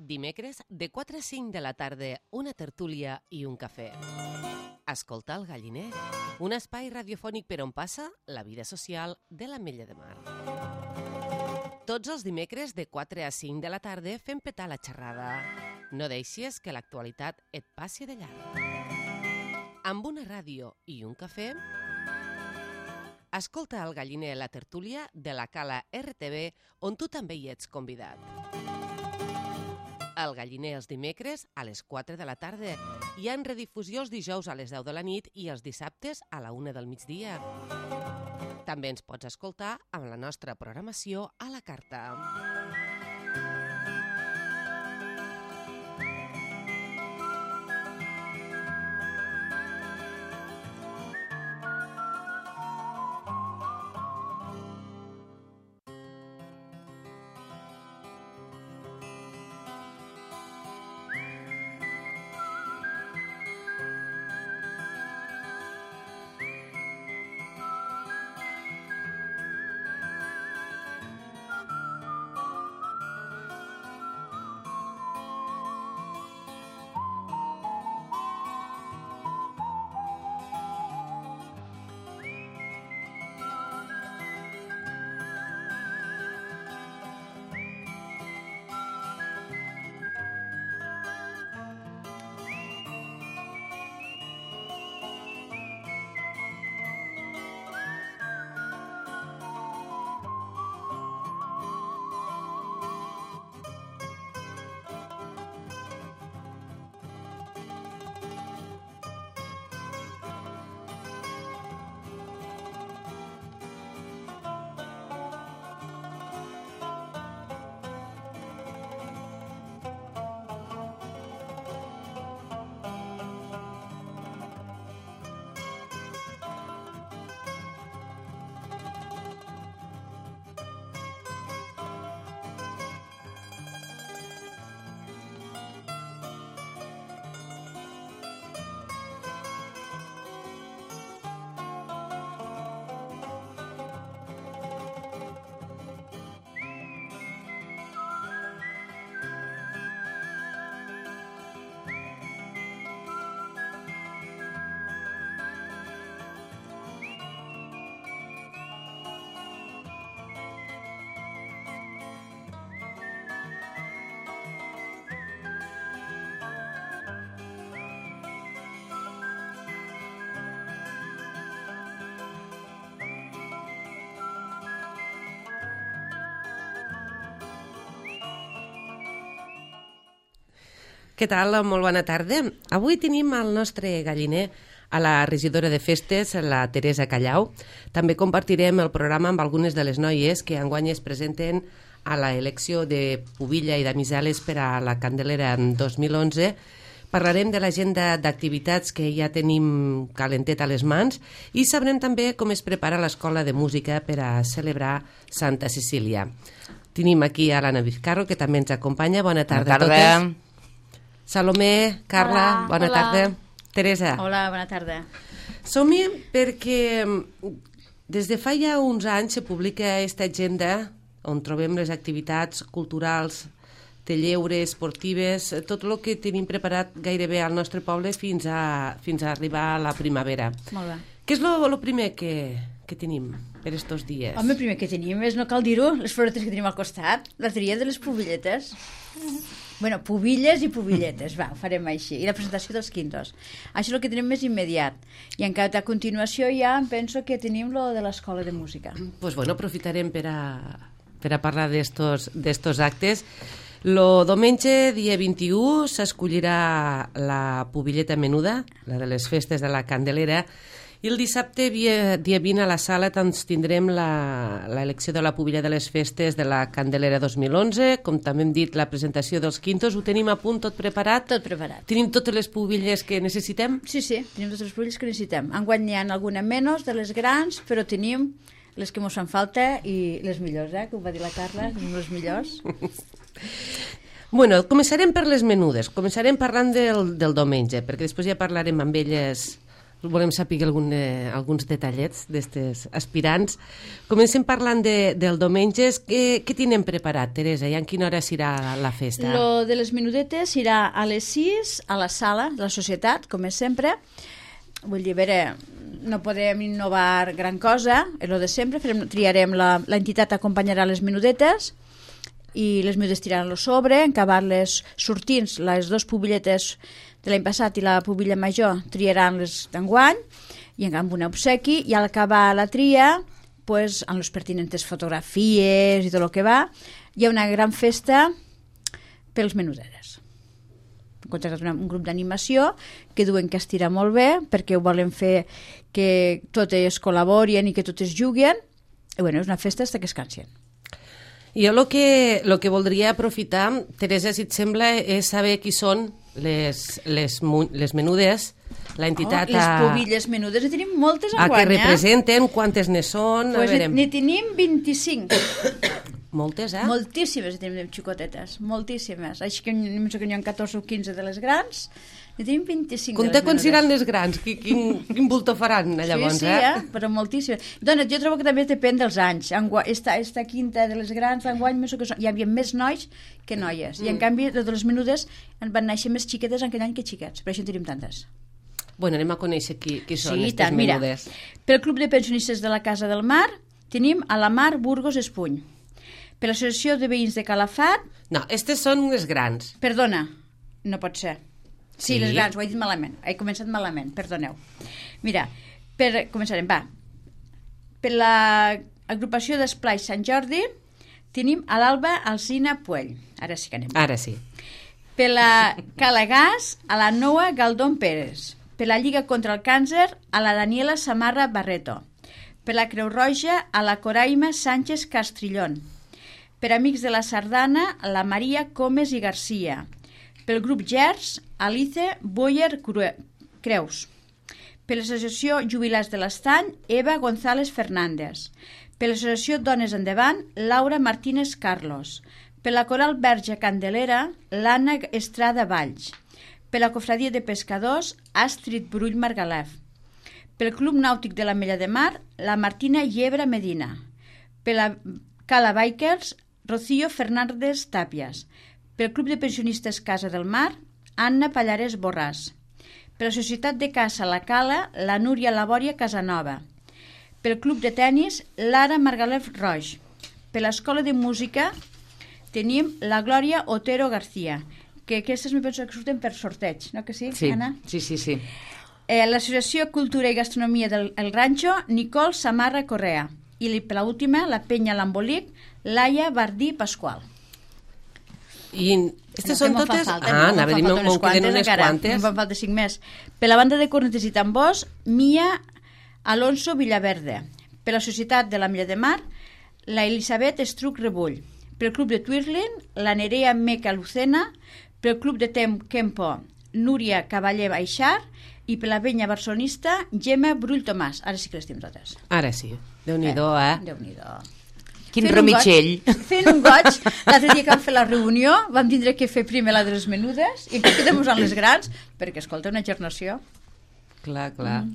Dimecres, de 4 a 5 de la tarda, una tertúlia i un cafè. Escolta el Galliner, un espai radiofònic per on passa la vida social de l'Ametlla de Mar. Tots els dimecres, de 4 a 5 de la tarda, fem petar la xerrada. No deixis que l'actualitat et passi de llarg. Amb una ràdio i un cafè, escolta el Galliner, la tertúlia de la Cala RTV, on tu també hi ets convidat. El Galliner els dimecres a les 4 de la tarda. Hi ha redifusió els dijous a les 10 de la nit i els dissabtes a la 1 del migdia. També ens pots escoltar amb la nostra programació a la carta. Què tal? Molt bona tarda. Avui tenim al nostre Galliner a la regidora de festes, la Teresa Callau. També compartirem el programa amb algunes de les noies que enguany es presenten a l'elecció de Pubilla i d'Amisales per a la Candelera en 2011. Parlarem de l'agenda d'activitats que ja tenim calentet a les mans i sabrem també com es prepara l'Escola de Música per a celebrar Santa Cecília. Tenim aquí a l'Anna Vizcarro, que també ens acompanya. Bona tarda a totes. Salomé, Carla, bona tarda. Teresa. Hola, bona tarda. Som-hi perquè des de fa ja uns anys se publica aquesta agenda on trobem les activitats culturals, de lleure, esportives, tot el que tenim preparat gairebé al nostre poble fins a arribar a la primavera. Molt bé. Què és el primer que tenim per estos dies? Home, el primer que tenim és, no cal dir-ho, les floretes que tenim al costat, la tria de les pubilletes. Bueno, pubilles i pubilletes, va, ho farem així. I la presentació dels quintos. Això és el que tenim més immediat. I encara a continuació ja em penso que tenim lo de l'Escola de Música. Pues bueno, aprofitarem per a parlar d'estos actes. Lo diumenge, dia 21, s'escollirà la pubilleta menuda, la de les festes de la Candelera, i el dissabte, dia 20, a la sala tindrem l'elecció de la pubilla de les festes de la Candelera 2011, com també hem dit, la presentació dels quintos. Ho tenim a punt, tot preparat? Tot preparat. Tenim totes les pubilles que necessitem? Sí, tenim totes les pubilles que necessitem. Enguany n'hi ha alguna menys de les grans, però tenim les que mos fan falta i les millors, que ho va dir la Carla, les millors. Bueno, començarem per les menudes. Començarem parlant del diumenge, perquè després ja parlarem amb elles volem saber alguns detallets d'estes aspirants. Comencem parlant del diumenges. Què tenen preparat, Teresa? I en quina hora serà la festa? Lo de les menudetes serà a les 6 a la sala de la societat, com és sempre. Vull dir, a veure, no podem innovar gran cosa, és el de sempre, triarem l'entitat acompanyarà les menudetes i les menudetes tiraran lo sobre, en acabar-les sortint, les dues pubilletes de l'any passat i la pubilla major triaran les d'enguany i amb un obsequi, i al acabar la tria, pues, amb les pertinents fotografies i tot el que va, hi ha una gran festa pels menudetes. Hem contractat un grup d'animació que diuen que estira molt bé perquè ho volen fer que totes col·laborin i que totes juguen, i bueno, és una festa fins que es cansen. Jo el que voldria aprofitar, Teresa, si et sembla, és saber qui són les menudes, l'entitat les pubilles menudes, en tenim moltes a enguany, que representen, quantes ne són, pues a veure... Ne tenim 25. Moltes, Moltíssimes tenim xicotetes, moltíssimes. Així que n'hi ha 14 o 15 de les grans, ne tenim 25 Compte de les quan menudes. seran les grans, quin bulto faran llavors, Sí, però moltíssimes. Dona, jo trobo que també depèn dels anys. Esta quinta de les grans, enguany, hi havia més nois que noies. I en canvi, de les menudes en van néixer més xiquetes en aquell any que xiquets. Per això en tenim tantes. Bueno, anem a conèixer qui són Sí, aquestes tant, mira. menudes. Pel Club de Pensionistes de la Casa del Mar tenim a la Mar Burgos Espuny. Per l'Associació de Veïns de Calafat... No, aquestes són les grans. Perdona, no pot ser. Sí, Sí? les grans, ho he dit malament. He començat malament, perdoneu. Mira, començarem, va. Per l'agrupació d'Esplai Sant Jordi tenim a l'Alba Alsina Puell. Ara sí que anem. Ara sí. Per la Calagàs, a la Noa Galdón Pérez. Per la Lliga contra el Càncer, a la Daniela Samarra Barreto. Per la Creu Roja, a la Coraima Sánchez Castrillón. Per Amics de la Sardana, a la Maria Comes i Garcia. Pel grup Gers, Alice Boyer Creus. Per l'Associació Jubilats de l'Estany, Eva González Fernández. Per l'Associació Dones Endavant, Laura Martínez Carlos. Per la Coral Verge Candelera, l'Anna Estrada Valls. Per la Cofradia de Pescadors, Astrid Brull Margalef. Pel Club Nàutic de la Mella de Mar, la Martina Llebra Medina. Per la Cala Bikers, Rocío Fernández Tàpies. Pel Club de Pensionistes Casa del Mar, Anna Pallares Borràs. Per la Societat de Caça La Cala, la Núria Labòria Casanova. Pel Club de Tenis, Lara Margalef Roig. Per l'Escola de Música tenim la Glòria Otero García, que aquestes me penso que surten per sorteig, no que sí, Anna? Sí. L'Associació Cultura i Gastronomia del Rancho, Nicole Samarra Correa. I per l'última, la Penya L'Embolic, Laia Bardí Pasqual. I aquestes són totes... Anava a dir, me'n queden unes quantes. Me'n falta 5 més. Per la banda de cornetes i tambors, Mia Alonso Villaverde. Per la Societat de la Mella de Mar, la Elisabet Estruc Rebull. Per el Club de Twirling, la Nerea Meca Lucena. Per el Club de Kempo, Núria Cavaller Baixar. I per la venya barcelonista, Gemma Brull Tomàs. Ara sí que les tenim totes. Ara sí. Déu-n'hi-do, Déu-n'hi-do. Quin remitxell. Fent un goig. L'altre dia que vam fer la reunió vam tindre que fer primer la de les menudes i que quedem usant les grans perquè, escolta, una gernació. Clar.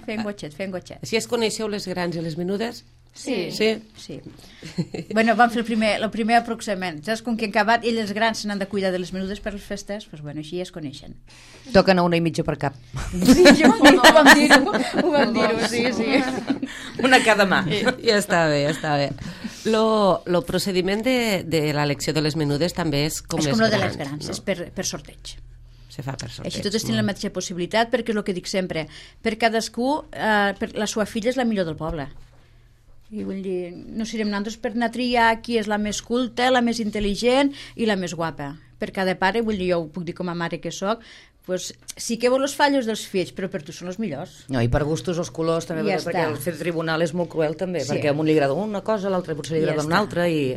Fent gotxet. Així es coneixeu les grans i les menudes? Sí. Sí. Bueno, vam fer el primer aproximament. Saps, com que han acabat, ells els grans se n'han de cuidar de les menudes per les festes, doncs bueno, així es coneixen. Toquen a 1,5 per cap. Sí, ho vam dir-ho, sí. Una cada mà. Ja està bé. Lo procediment de l'elecció de les menudes també és com les grans. És com el de les grans, no? és per sorteig. Se fa per sorteig. Així totes tenen la mateixa possibilitat, perquè és el que dic sempre, per cadascú, per la seva filla és la millor del poble. I vull dir, no serem nosaltres per anar a triar qui és la més culta, la més intel·ligent i la més guapa. Per cada pare, vull dir, jo ho puc dir com a mare que soc, pues, sí que vol els fallos dels fills, però per tu són els millors. No, i per gustos els colors també, Ja perquè està. el fer tribunal és molt cruel també, Sí. perquè a un li agrada una cosa, a l'altre potser li agrada una altra i...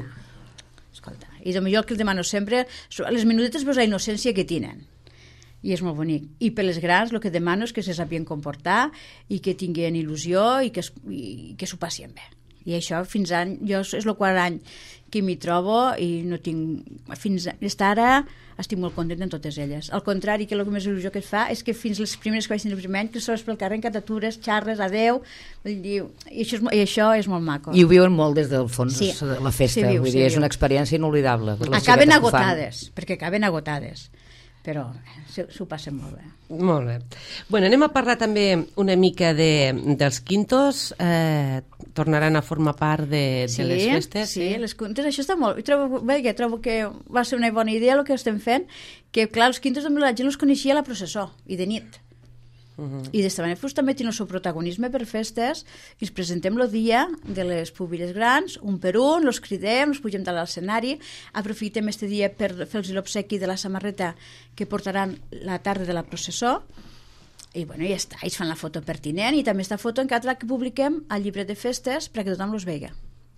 Escolta, i de millor el que els demano sempre, les menudetes és la innocència que tenen. I és molt bonic. I per les grans el que demano és que se sapien comportar i que tinguin il·lusió i que s'ho passin bé. I això fins any, jo és el quart any que m'hi trobo i no tinc, fins ara estic molt content en totes elles. Al contrari, que el que més il·lusió que et fa és que fins les primeres que vaig tenir el primer any, que sols pel carrer, que t'atures, xarres, adeu, i això és molt maco. I ho viuen molt des del fons, Sí. la festa, Sí, vull dir, és una experiència inolvidable. Per les Acaben xiquetes que ho fan. agotades, perquè acaben agotades, però s'ho passen molt bé. Molt bé. Bueno, anem a parlar també una mica dels quintos. Tornaran a formar part de les festes. Sí, les quintos, això està molt... Trobo que va ser una bona idea el que estem fent, que clar, els quintos també la gent els coneixia a la processó i de nit. I d'esta manera també tenen el seu protagonisme per festes i els presentem el dia de les pubilles grans, un per un, els cridem, els pugem dalt a l'escenari, aprofitem este dia per fer-los l'obsequi de la samarreta que portaran la tarda de la processó i bueno, ja està, ells fan la foto pertinent i també esta foto encara que publiquem al llibre de festes perquè tothom los vegi.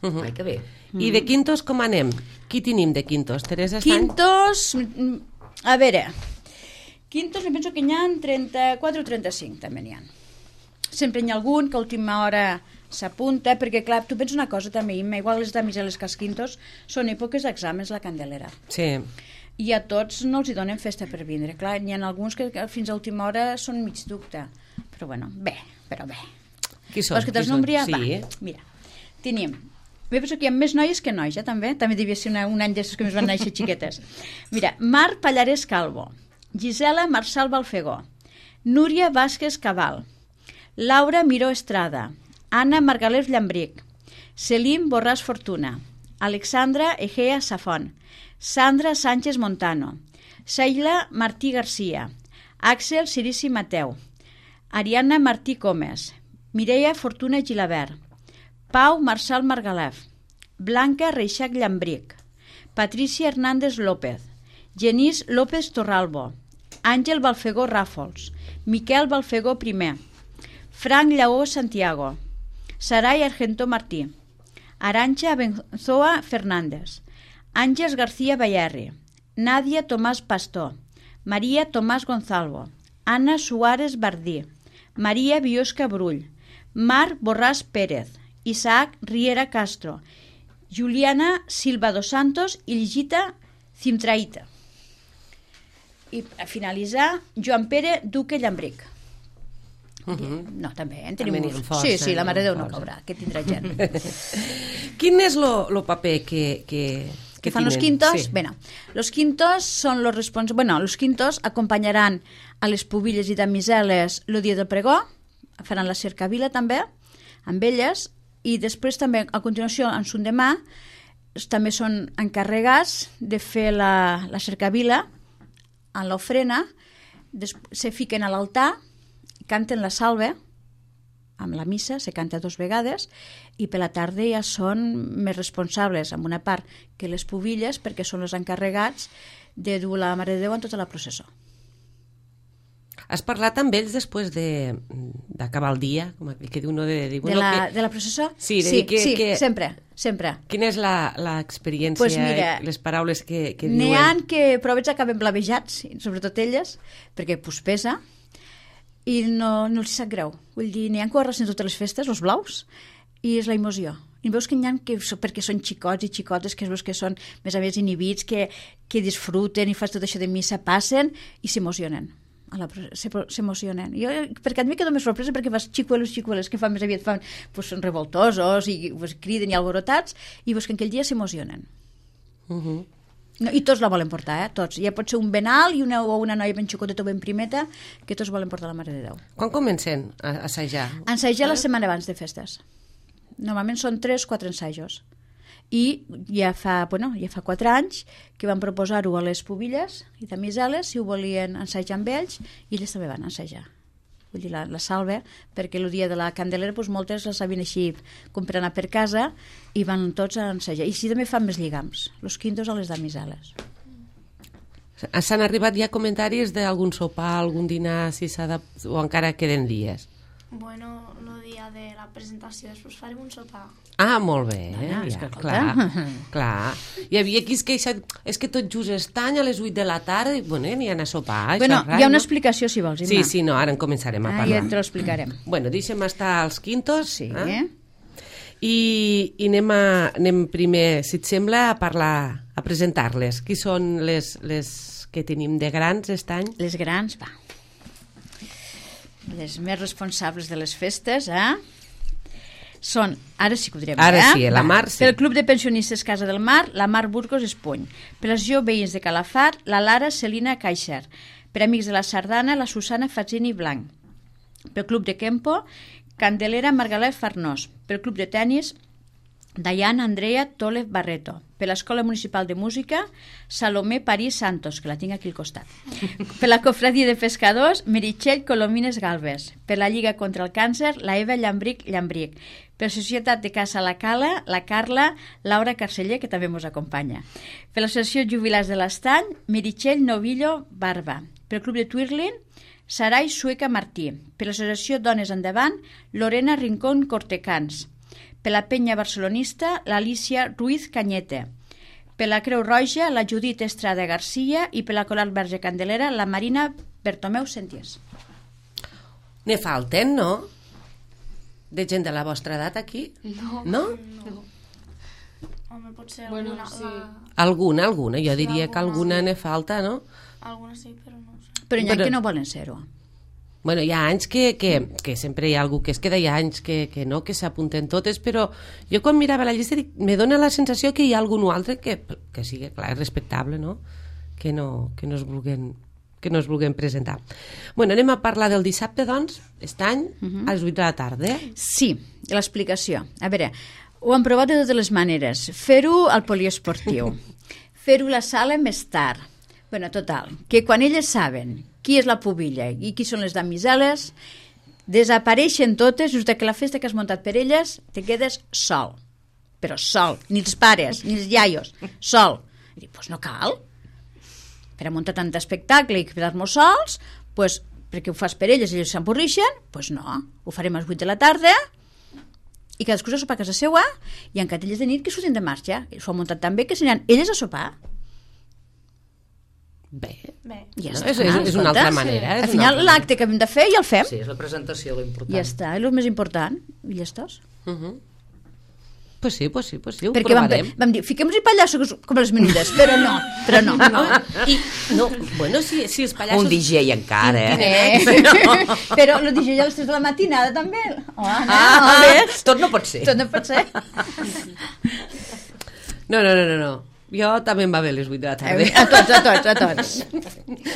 Ai, que bé. I de quintos com anem? Qui tenim de quintos? Teresa Estany? Quintos, a veure, quintos me penso que n'hi ha 34 o 35 també n'hi ha. Sempre n'hi ha algun que a última hora s'apunta, perquè clar, tu penses una cosa també, igual les damiseles que els quintos són èpoques d'exàmens la Candelera. Sí. I a tots no els hi donen festa per vindre. Clar, n'hi ha alguns que fins a última hora són mig dubte. Però bueno, bé. Qui són? Vols que te'ls nombri? Sí. Va, mira, tenim... Jo penso que hi ha més noies que nois, també. També devia ser un any d'aquests que més van néixer xiquetes. Mira, Mar Pallarès Calvo, Gisela Marçal Balfegó, Núria Vázquez Cabal, Laura Miró Estrada, Anna Margalef Llambric, Selim Borràs Fortuna, Alexandra Egea Safón, Sandra Sánchez Montano, Sheila Martí Garcia, Àxel Cirici Mateu, Ariana Martí Comes, Mireia Fortuna Gilabert, Pau Marçal Margalef, Blanca Reixac Llambric, Patricia Hernández López, Genís López Torralbo, Àngel Balfegó Ràfols, Miquel Balfegó I, Frank Lleó Santiago, Saray Argentó Martí, Arantxa Benzoa Fernández, Àngels García Bayarri, Nadia Tomàs Pastor, Maria Tomàs Gonzalvo, Anna Suárez Bardí, Maria Biosca Brull, Marc Borràs Pérez, Isaac Riera Castro, Juliana Silva dos Santos i Ligita Cimtraïta. I a finalitzar, Joan Pere Duque Llambric. No, també, en tenim També molts. força, Sí, la Mare de Déu no força. caurà, que tindrà gent. Quin és el paper que fan los tenen? quintos? Sí. Bueno, los quintos són los responsables... Bueno, los quintos acompanyaran a les pubilles i damiseles el dia del pregó, faran la cercavila també, amb elles, i després també, a continuació, en son demà, també són encarregats de fer la cercavila en l'ofrena, se fiquen a l'altar, canten la salve, amb la missa, se canta 2 vegades, i per la tarda ja són més responsables, amb una part que les pubilles, perquè són els encarregats de dur la Mare de Déu en tota la processó. Has parlat amb ells després d'acabar el dia, com aquell que diu, no de dir... De la processó? Sí, de dir que... sempre. Quina és l'experiència, Pues mira, les paraules que diuen? N'hi ha que provets acaben blavejats, sobretot elles, perquè pesa, i no els sap greu. Vull dir, n'hi ha que ho arrasen totes les festes, els blaus, i és la emoció. I veus que n'hi ha que, perquè són xicots i xicotes, que veus que són més a més inhibits, que disfruten i fas tot això de missa, passen i s'emocionen. S'emocionen. Jo, perquè a mi quedo més sorpresa perquè fas xicuelos que fan més aviat són revoltosos i criden i alborotats i veus que aquell dia s'emocionen. No, i tots la volen portar, tots. Ja pot ser un benal o una noia ben xicoteta o ben primeta que tots volen portar la Mare de Déu. Quan comencen a assajar? Ensajar la setmana abans de festes. Normalment són 3 o 4 ensajos. I ja fa 4 anys que van proposar-ho a les pubilles i damiseles si ho volien ensajar amb ells i elles també van ensajar. Vull dir, la salve, perquè el dia de la Candelera moltes la sabien així com per anar per casa i van tots a ensajar. I sí, també fan més lligams, los quintos a les damiseles. S'han arribat ja comentaris d'algun sopar, algun dinar, si o encara queden dies? Bueno, el dia de la presentació després farem un sopar. Ah, molt bé. És que, clar. Hi havia qui es queixa, és que tot just estany a les 8 de la tarda, i bueno, n'hi ha a sopar. Bueno, hi ha una explicació, si vols, Imma. Sí, no, ara en començarem a parlar. Ja te l'explicarem. Bueno, deixem estar els quintos. Sí. I anem primer, si et sembla, a parlar, a presentar-les. Qui són les que tenim de grans aquest any? Les grans, va. Les més responsables de les festes, són, ara sí que ho direm, Ara sí, la Mar, sí. Pel Club de Pensionistes Casa del Mar, la Mar Burgos Espuny. Per l'associació Veïns de Calafat, la Lara Celina Caixer. Per Amics de la Sardana, la Susana Fazzini Blanc. Pel Club de Kempo, Candelera Margalef Farnós. Pel Club de Tenis, Diana Andrea Tolev Barreto. Per l'Escola Municipal de Música, Salomé París Santos, que la tinc aquí al costat. Per la Cofradia de Pescadors, Meritxell Colomines Galvez. Per la Lliga contra el Càncer, la Eva Llambric. Per la Societat de Casa La Cala, la Carla Laura Carceller, que també ens acompanya. Per l'Associació Jubilats de l'Estany, Meritxell Novillo Barba. Per el Club de Twirling, Sarai Sueca Martí. Per l'Associació Dones Endavant, Lorena Rincón Cortecans. Per la Penya Barcelonista, l'Alicia Ruiz Cañete. Per la Creu Roja, la Judit Estrada Garcia. I per la Coral Verge Candelera, la Marina Bertomeu Senties. Ne falten, no? De gent de la vostra edat aquí? No? Home, potser Bueno, alguna... sí. Alguna. Jo diria que alguna ne falta, no? Alguna sí, però no ho sé. Però hi ha que no volen ser-ho. Bueno, hi ha anys que sempre hi ha algú que es queda, hi ha anys que no, que s'apunten totes, però jo quan mirava la llista me dóna la sensació que hi ha algun altre que sigui, clar, respectable, no? Que no es vulguin presentar. Bueno, anem a parlar del dissabte, doncs, aquest any, a les 8 de la tarda. Sí, l'explicació. A veure, ho han provat de totes les maneres. Fer-ho al poliesportiu, fer-ho a la sala més tard. Bueno, total, que quan elles saben qui és la pubilla i qui són les damiseles, desapareixen totes, just que la festa que has muntat per elles te quedes sol. Però sol, ni els pares, ni els iaios, sol. I dic, doncs no cal. Per a muntar tant espectacle i quedar-nos sols, doncs, perquè ho fas per elles i elles s'emporrixen, doncs no, ho farem a les 8 de la tarda i cadascú se sopar a casa seua i en catelles de nit que surtin de marxa. S'ho han muntat tan bé que s'aniran elles a sopar. Bé, Ja no, està. és una altra manera. Al final l'acte que hem de fer ja el fem. Sí, és la presentació l'important. Ja està, és el més important. I ja estàs. Pues sí, ho Perquè provarem. vam dir, fiquem-nos-hi pallassos com les menudes, però no. Bueno, si els pallassos... Un DJ encara, Però el DJ a les 3 de la matinada també. Tot no pot ser. Tot no pot ser. No. Jo també em va bé les 8 de la tarda. A tots.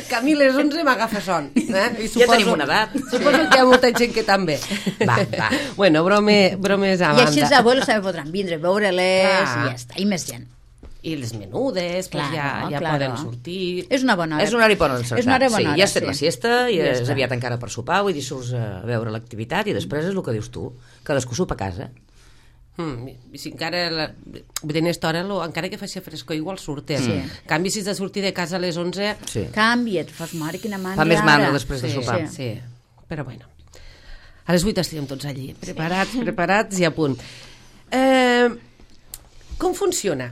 Que a mi les 11 m'agafa son. I Ja tenim una edat. Suposo que hi ha molta gent que també. Va. Bueno, bromes a I així els banda. abuelos també podran vindre, veure-les i ja està. I més gent. I les menudes, pues ja Claro. poden sortir. És una bona hora. És un horari bon encertat. És una hora bona sí, hora, ja has fet sí. la siesta i Ja és està. aviat encara per sopar, vull dir, surts a veure l'activitat i després és el que dius tu, cadascú sopa a casa. I si encara vull dir, en aquesta hora encara que faci frescor igual surten. En canvi, si has de sortir de casa a les 11 Sí. Canvia't, fas mare, quina mandra. Fa més mandra després de sí, sopar. sí. Però bueno, a les 8 estem tots allí preparats i a punt. Com funciona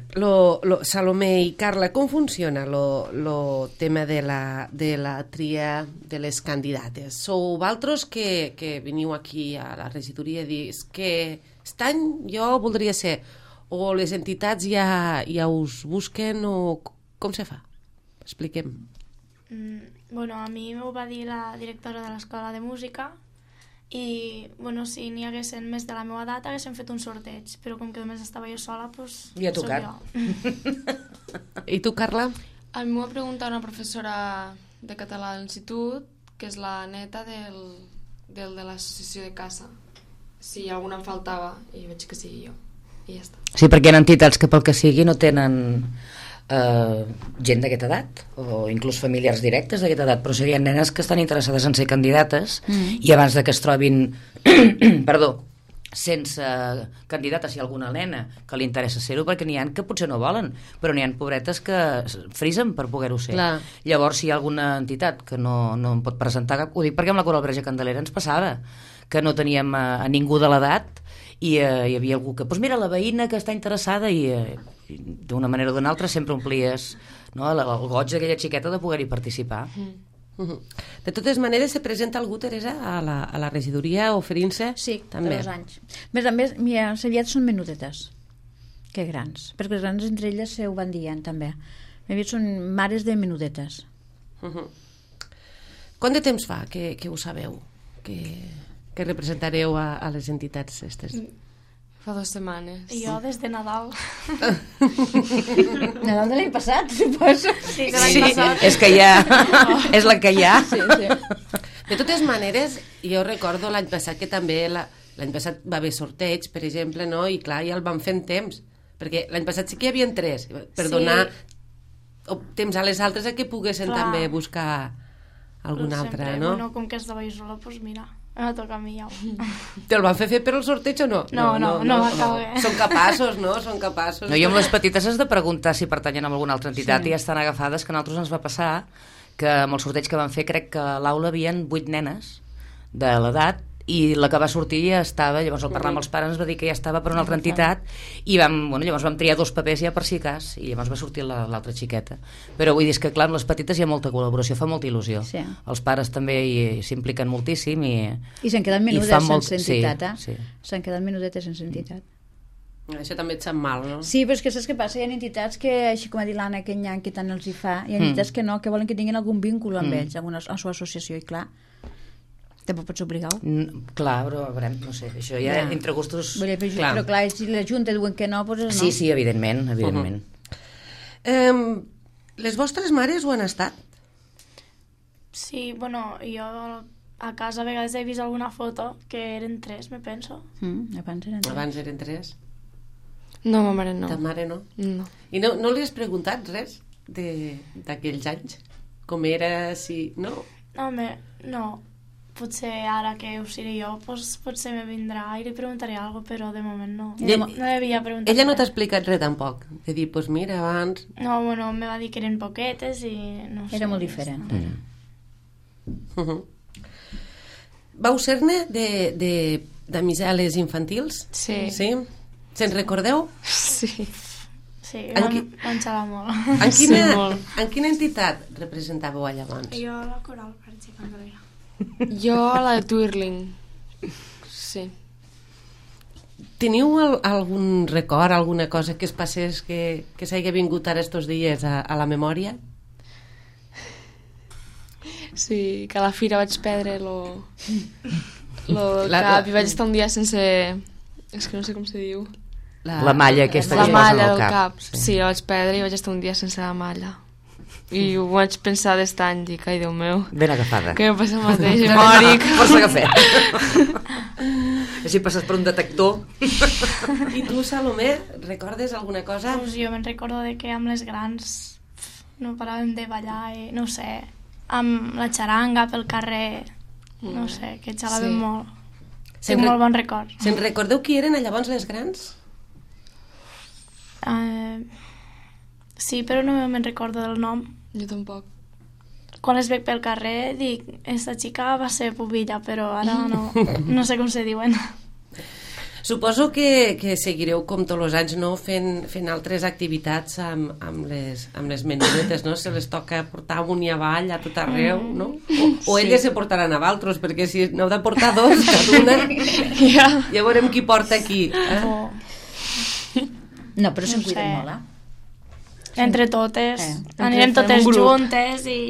Salomé i Carla, com funciona lo tema de la tria de les candidates? Sou vosaltres que veniu aquí a la regidoria i dius que aquest any jo voldria ser, o les entitats ja us busquen, o com se fa? Expliquem. Bueno, a mi m'ho va dir la directora de l'escola de música i, bueno, si n'hi haguessin més de la meva edat haguessin fet un sorteig, però com que només estava jo sola, doncs... Li ha tocat. I tu, Carla? A mi m'ho va preguntar una professora de català de l'institut, que és la neta del de l'associació de casa, si alguna em faltava, i veig que sigui jo, i ja està. Sí, perquè hi ha entitats que pel que sigui no tenen gent d'aquesta edat, o inclús familiars directes d'aquesta edat, però serien nenes que estan interessades en ser candidates i abans de que es trobin sense candidates, si hi ha alguna nena que li interessa ser-ho, perquè n'hi ha que potser no volen, però n'hi ha pobretes que frisen per poder-ho ser. Clar. Llavors, si hi ha alguna entitat que no em pot presentar, ho dic perquè amb la Coral Verge Candelera ens passava, que no teníem a ningú de l'edat i hi havia algú que, doncs mira, la veïna que està interessada i d'una manera o d'una altra sempre omplies, no, el goig d'aquella xiqueta de poder-hi participar. De totes maneres, se presenta algú, Teresa, a la regidoria oferint-se? Sí, també. de 2 anys. A més, mira, les aviat són menudetes, que grans, perquè les grans entre elles ho van dient, també. Aviat són mares de menudetes. Quant de temps fa que ho sabeu? Que representareu a les entitats aquestes? Fa 2 setmanes. I jo des de Nadal. Nadal de l'any passat, suposo. Sí, de l'any passat. És que ja... és la que hi ha. Sí. De totes maneres, jo recordo l'any passat que també l'any passat va haver sorteig, per exemple, no? I clar, ja el van fer en temps, perquè l'any passat sí que hi havia 3, per donar temps a les altres a que poguessin també buscar alguna altra, no? Bueno, com que estava jo sola, doncs mira, me toca a mi ja. Te'l van fer per al sorteig o no? No va caber. Són capaços, no? Són capaços. No, jo amb les petites has de preguntar si pertanyen a alguna altra entitat i ja estan agafades, que a nosaltres ens va passar que amb el sorteig que van fer crec que a l'aula havien 8 nenes de l'edat i la que va sortir ja estava, llavors al parlar amb els pares ens va dir que ja estava per una altra entitat i llavors vam triar 2 papers ja per si cas i llavors va sortir l'altra xiqueta, però vull dir que clar, amb les petites hi ha molta col·laboració, fa molta il·lusió, Sí. els pares també s'impliquen moltíssim i s'han quedat menudes fan molt- sense entitat, sí. S'han quedat menudetes sense entitat. Això també et sap mal, no? Sí, però és que saps què passa? Hi ha entitats que, així com ha dit l'Anna, que n'hi ha que tant els hi fa, hi ha entitats que no, que volen que tinguin algun vínculo amb ells, amb la seva associació, i clar, tampoc pots obligar-ho. Clar, però veurem, no sé, això ja entre gustos... Vull dir, però clar, si la Junta diuen que no, doncs no. Sí, evidentment. Les vostres mares ho han estat? Sí, bueno, jo a casa a vegades he vist alguna foto que eren 3, me penso. Abans eren 3. No, ma mare no. Ta mare no? No. I no li has preguntat res d'aquells anys? Com era, si... No? Home, no. Potser ara que ho seré jo, doncs potser me vindrà i li preguntaré alguna cosa, però de moment no. No li havia preguntat. Ella no t'ha res. explicat res tampoc? De dir, doncs mira, abans... No, bueno, me va dir que eren poquetes i no sé. Era molt diferent. Vau ser-ne d'amisales infantils? Sí. Sí? Se'n recordeu? Sí. Sí, En vam xalar molt. En quina entitat representàveu allà abans? Jo la coral, per exemple. Jo la de Twirling. Sí. Teniu algun record, alguna cosa que es passés que s'hagi vingut ara estos dies a la memòria? Sí, que a la fira vaig perdre lo cap i vaig estar un dia sense... És que no sé com se diu. La malla aquesta La que es posa malla al del cap. cap. Sí, la vaig perdre i vaig estar un dia sense la malla. I ho vaig pensar d'estany, dic, ai, Déu meu, Ben agafada. que em passa el mateix, mòric. Força cafè. Així passes per un detector. I tu, Salomé, recordes alguna cosa? Pues jo me'n recordo de que amb les grans no paràvem de ballar i no sé, amb la xaranga pel carrer, no sé, que xalàvem Sí. molt. Tinc molt bon record. Se'n recordeu qui eren llavors les grans? Sí, però no me'n recordo del nom. Jo tampoc. Quan les veig pel carrer dic, esta xica va ser pubilla, però ara no sé com se diuen. Suposo que seguireu com tots els anys, no? fent altres activitats amb les menudetes, no? Se les toca portar amunt i avall a tot arreu, no? O elles se portaran a valtros, perquè si n'heu de portar 2 cada una, ja veurem qui porta qui. No, però se'n No cuiden sé. molt, Entre totes, fem anirem totes un grup. juntes i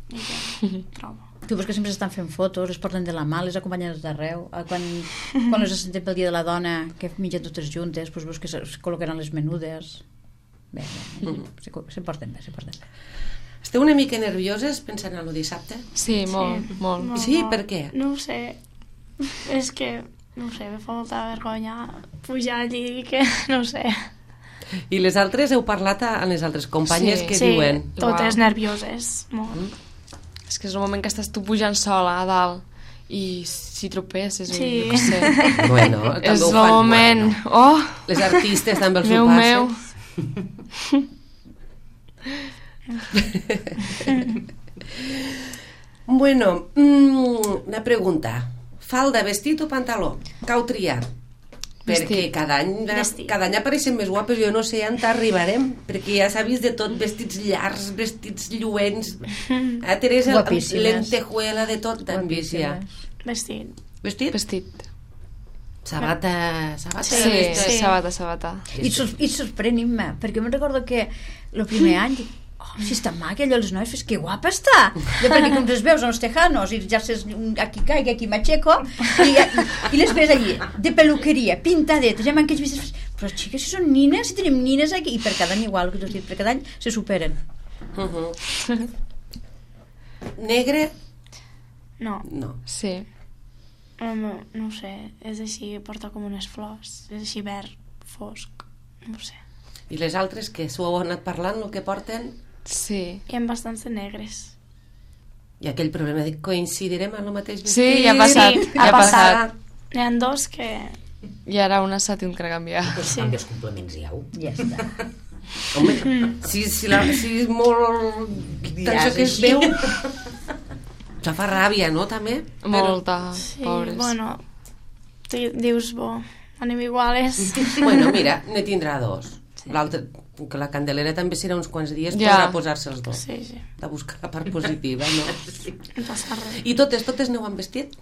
què trobo. Tu veus que sempre s'estan fent fotos, les porten de la mà, les acompanyen d'arreu. Quan les sentem pel dia de la dona, que mengen totes juntes, doncs veus que es col·locaran les menudes. Bé, se porten bé, se porten bé. Esteu una mica nervioses pensant en el dissabte? Sí, molt, molt. Sí, per què? No ho sé. És que, no ho sé, me fa molta vergonya pujar allí, que no ho sé. I les altres heu parlat amb les altres companyes que Sí, diuen? totes Uau. nervioses, molt. És que és el moment que estàs tu pujant sola a dalt i si tropesses o Sí. jo què sé. Bueno, també És ho el fan, moment. bueno. Oh, Les artistes també els meu, ho meu. passen. Bueno, una pregunta. Falda, vestit o pantaló? Cau triar. Perquè cada any apareixen més guapes. Jo no sé on arribarem, perquè ja s'ha vist de tot, vestits llargs, vestits lluents. Teresa, lentejuela, de tot t'han vist ja. Vestit. Vestit. Sabata. Sí, sabata. I sorprenim-me, perquè me'n recordo que el primer any dic, si està maca allò, les noies, que guapa està, perquè com les veus a los tejanos i ja saps, aquí caiga, aquí m'aixeco i les ves allí de peluqueria, pintadetes, ja m'han que vist, però xiques, si són nines, si tenim nines aquí, i per cada any igual, que t'ho dit, per cada any se superen. Negre? No. Sí. No sé, és així, porta com unes flors, és així verd, fosc, no sé. I les altres, que s'ho heu anat parlant, el que porten? Sí. Hi ha bastants de negres. I aquell problema de coincidirem en el mateix vestit? Sí, ja ha passat. Sí, ha passat. N'hi ha dos que... I ara una s'ha tingut que canviar. Pues canvia els complements, Ja està. Home, si és molt... Això que es veu... Això fa ràbia, no, també? Molta, Sí, pobres. bueno, dius, anem iguales. Bueno, mira, ne tindrà dos. L'altre, que la Candelera també serà uns quants dies, podrà posar-se els dos. Sí. De buscar la part positiva, no? No passa res. I totes n'heu han vestit?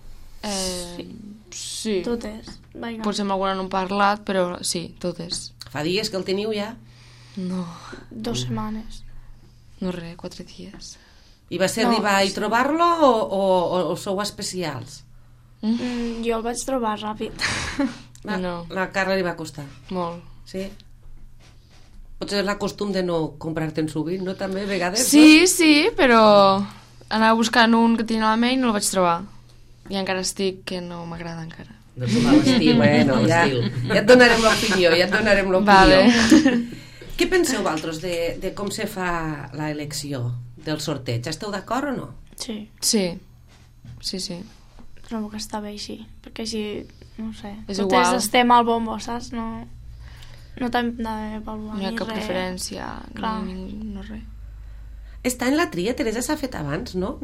Sí. Totes. Vinga. Potser amb alguna no hem parlat, però sí, totes. Fa dies que el teniu ja? No. 2 setmanes. No res, 4 dies. I va ser arribar i trobar-lo o sou especials? Jo el vaig trobar ràpid. La Carla li va costar. Molt. Sí? Potser és la costum de no comprar-te'n sovint, no? També, a vegades? Sí, però anava buscant un que tenia a la ment i no el vaig trobar. I encara estic que no m'agrada encara. No és l'estil, Bueno, ja et donarem l'opinió, Vale. Què penseu vosaltres de com se fa l'elecció del sorteig? Esteu d'acord o no? Sí, Sí. trobo que està bé així, perquè així, no sé, És totes igual. estem al bombo, saps? No t'hem d'avaluar No hi ha ni cap res. preferència, Clar. no res. Està en la tria, Teresa, s'ha fet abans, no?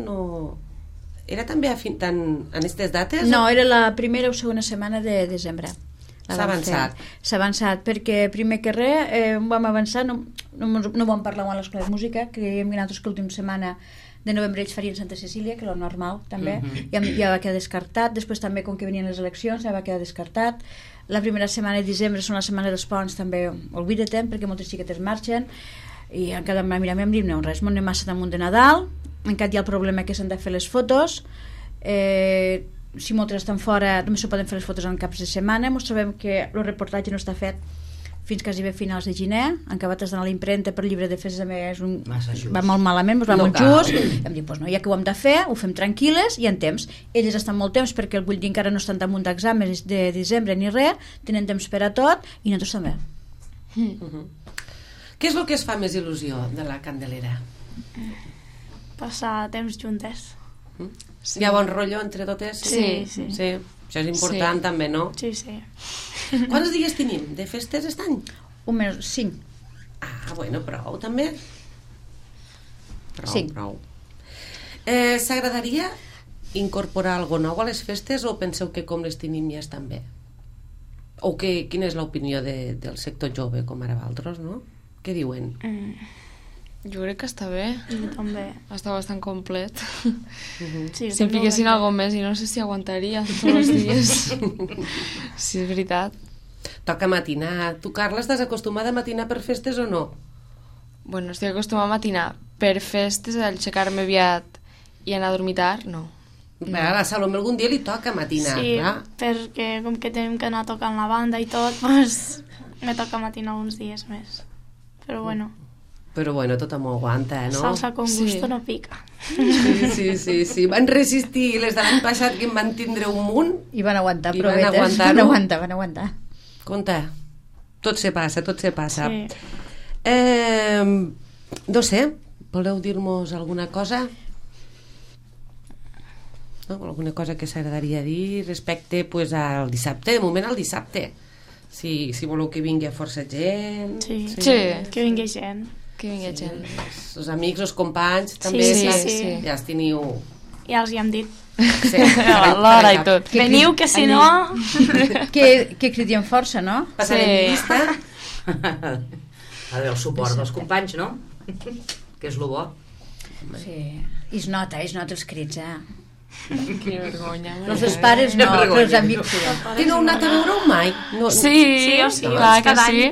Era també en aquestes dates? No, era la primera o segona setmana de desembre. S'ha avançat. S'ha avançat, perquè primer que res vam avançar, no vam parlar amb l'escola de música, creiem que nosaltres que l'última setmana de novembre ells farien Santa Cecília, que era el normal també, ja va quedar descartat. Després també, com que venien les eleccions, ja va quedar descartat. La primera setmana de desembre són la setmana dels ponts, també oblida-te'n, perquè moltes xiquetes marxen, i encara mira, no, res, m'ho anem massa damunt de Nadal, encara hi ha el problema que s'han de fer les fotos, si moltes estan fora només se poden fer les fotos en caps de setmana. Ens trobem que el reportatge no està fet fins quasi bé finals de gener, han acabat d'anar a l'impremta per llibre de festes, va molt malament, va molt just, i hem dit, no, ja que ho hem de fer, ho fem tranquil·les i en temps. Elles estan molt temps perquè vull dir encara no estan damunt d'exàmens de desembre ni res, tenen temps per a tot i nosaltres també. Què és el que es fa més il·lusió de la Candelera? Passar temps juntes. Hi ha bon rotllo entre totes? Sí. Això és important també, no? Sí. Quants dies tenim de festes aquest any? 5. Bueno, prou també. Prou. S'agradaria incorporar alguna nou a les festes o penseu que com les tenim ja estan bé? O quina és l'opinió del sector jove, com ara vosaltres, no? Què diuen? Jo crec que està bé. Jo també. Està bastant complet. Sí, Si em fiquessin alguna més i no sé si aguantaria tots els dies. Sí, és veritat. Toca matinar. Tu, Carla, estàs acostumada a matinar per festes o no? Bueno, estic acostumada a matinar. Per festes, al aixecar-me aviat i anar a dormir tard, no. A la Salomé algun dia li toca matinar, Sí, clar. perquè com que tenim que anar tocant la banda i tot, doncs me toca matinar uns dies més. Però bueno, Però bueno, tothom ho aguanta, no? salsa con gusto Sí. no pica. Sí. Van resistir les de l'any passat que en van tindre un munt. I van aguantar, I van provetes. aguantar-ho. Van aguantar. Compte, tot se passa. Sí. No sé, voleu dir-nos alguna cosa? No? Alguna cosa que s'agradaria dir respecte pues, al dissabte, de moment al dissabte. Si voleu que vingui força gent. Sí. Sí. Que vingui gent. Que vingui gent. Els amics, els companys, també Sí. ja els teniu... Ja els hi hem dit. Sí, l'hora i tot. Veniu, que si no... Que cridiem força, no? Passarem Sí. llista. Ha d'haver el suport dels companys, no? Que és lo bo. Sí. I es nota els crits, Que vergonya. Els dels pares no, però els amics sí. Que no heu anat a veure-ho mai? No, Sí, clar que sí.